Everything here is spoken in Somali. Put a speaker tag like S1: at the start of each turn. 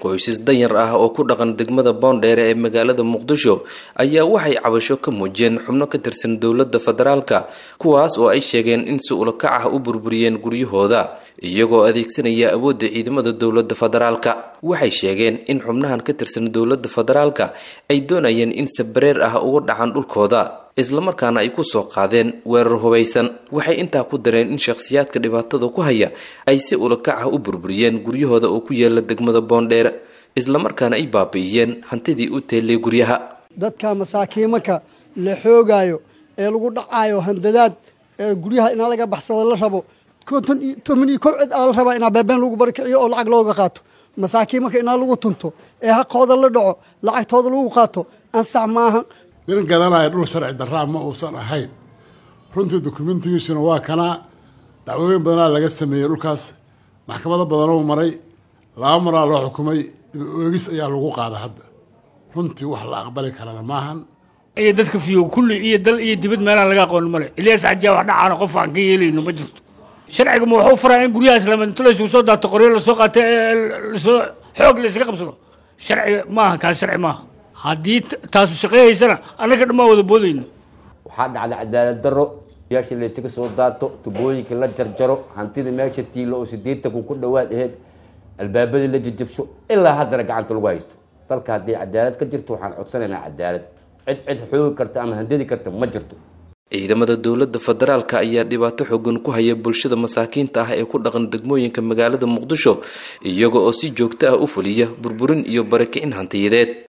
S1: Qoysas danyar ah oo ku dhaqan degmada Boondheere ee magaalada Muqdisho ayaa waxay cabasho ka muujiyeen xubno ka tirsan dowladda federaalka, kuwaas oo ay sheegeen in si ulakac ah u burburiyeen guryahooda iyagoo adeegsanaya awoodda ciidamada dowladda federaalka. Waxay sheegeen in xubnahan ka tirsan dowladda federaalka ay doonayeen in sabareer ah uga dhacaan dhulkooda, islamarkaana ay ku soo qaadeen weerar hubaysan. Waxay intaa ku dareen in shakhsiyaadka dhibaatada ku haya ay si ulakac ah u burburiyeen guryahooda oo ku yaala degmada Boondheere, islamarkaana ay baabi'iyeen hantidii u teellay guryaha.
S2: Dadka masaakiimanka la xoogaayo ee lagu dhacaayo handadaad ee guryaha inaa laga baxsado la rabo, 51 cid aa la rabaa inaa beebeen lagu barakiciyo oo lacag looga qaato. Masaakiimanka inaa lagu tunto ee xaqooda la dhaco, lacagtooda lagu qaato, ansax maaha.
S3: Nin gadanaya dhul sharci darraa ma uusan ahayn. Runtii dukumentigiisuna waa kanaa. Dacwooyin badanaa laga sameeyey dhulkaas, maxkamado badanoo maray, 2 maraa loo xukumay, dib oogis ayaa lagu qaada hadda. Runtii wax la aqbali karana maahan.
S4: Iyo dadka fiyo kulli iyo dal iyo dibad meelaan laga aqoon male. Ilyaas Xajiya wax dhacaana qof aan ka yeelayno ma jirto. Sharciga ma wuxuu furaa in guryahaas lama inta laysugu soo daato, qoryo lasoo qaatay, lasoo xoog laysaga qabsado? Sharciga maaha kaas, sharci maaha. Haddii taasu shaqeyhaysana, annaga dhammaan wada boodayno.
S5: Waxaa dhacda cadaalad darro, yaasha laysaga soo daato, tubooyinka la jarjaro, hantida meesha tiilo oo 80,000 ku dhowaad aheyd albaabadii la jajabsho, ilaa haddana gacanta lagu haysto. Dalka haddii cadaalad ka jirto, waxaan codsanaynaa cadaalad. Cid cid xoogi karta ama handadi karta ma jirto.
S1: Ciidamada dowladda federaalka ayaa dhibaato xoogan ku haya bulshada masaakiinta ah ee ku dhaqan degmooyinka magaalada Muqdisho, iyaga oo si joogto ah u fuliya burburin iyo barakicin hantiyadeed.